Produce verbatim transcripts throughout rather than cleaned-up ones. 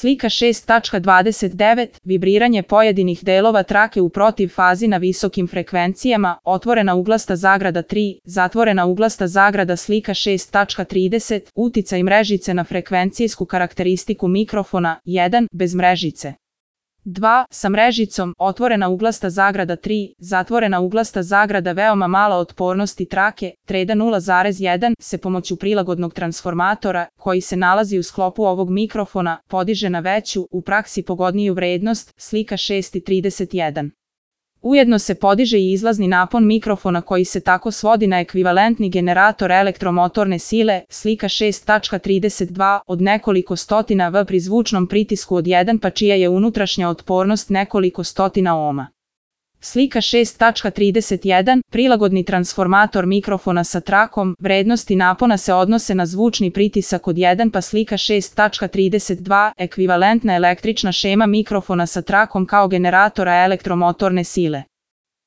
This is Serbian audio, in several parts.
Slika šest tačka dvadeset devet. Vibriranje pojedinih delova trake u protiv fazi na visokim frekvencijama, otvorena uglasta zagrada tri, zatvorena uglasta zagrada. Slika šest tačka trideset. Uticaj mrežice na frekvencijsku karakteristiku mikrofona, jedan, bez mrežice. dva. Sa mrežicom, otvorena uglasta zagrada tri, zatvorena uglasta zagrada. Veoma mala otpornosti trake, treda nula zarez jedan, se pomoću prilagodnog transformatora, koji se nalazi u sklopu ovog mikrofona, podiže na veću, u praksi pogodniju vrednost, slika šest trideset jedan. Ujedno se podiže i izlazni napon mikrofona koji se tako svodi na ekvivalentni generator elektromotorne sile, slika šest tačka trideset dva, od nekoliko stotina V pri zvučnom pritisku od jedan pa čija je unutrašnja otpornost nekoliko stotina ohma. Slika šest tačka trideset jedan. Prilagodni transformator mikrofona sa trakom, vrednosti napona se odnose na zvučni pritisak od jedan pa slika šest tačka trideset dva. Ekvivalentna električna šema mikrofona sa trakom kao generatora elektromotorne sile.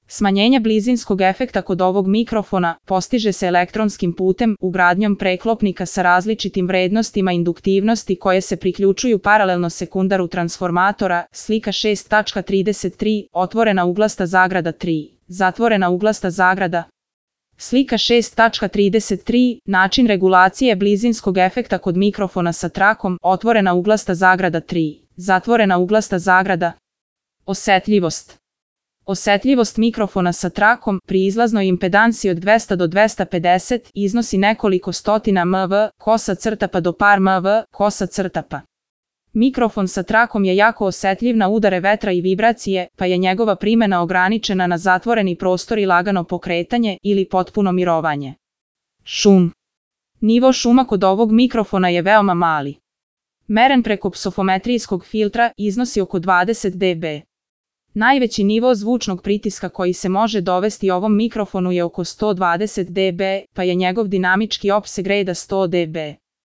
Smanjenje blizinskog efekta kod ovog mikrofona postiže se elektronskim putem, ugradnjom preklopnika sa različitim vrednostima induktivnosti koje se priključuju paralelno sekundaru transformatora, slika šest tačka trideset tri, otvorena uglasta zagrada tri, zatvorena uglasta zagrada. Slika šest tačka trideset tri. Način regulacije blizinskog efekta kod mikrofona sa trakom, otvorena uglasta zagrada tri, zatvorena uglasta zagrada. Osetljivost. Osetljivost mikrofona sa trakom pri izlaznoj impedansi od dvesta do dvesta pedeset iznosi nekoliko stotina mV, kosa crtapa do par mV, kosa crtapa. Mikrofon sa trakom je jako osetljiv na udare vetra i vibracije, pa je njegova primjena ograničena na zatvoreni prostor i lagano pokretanje ili potpuno mirovanje. Šum. Nivo šuma kod ovog mikrofona je veoma mali. Meren preko psofometrijskog filtra iznosi oko dvadeset decibela. Najveći nivo zvučnog pritiska koji se može dovesti ovom mikrofonu je oko sto dvadeset decibela, pa je njegov dinamički opseg reda sto decibela.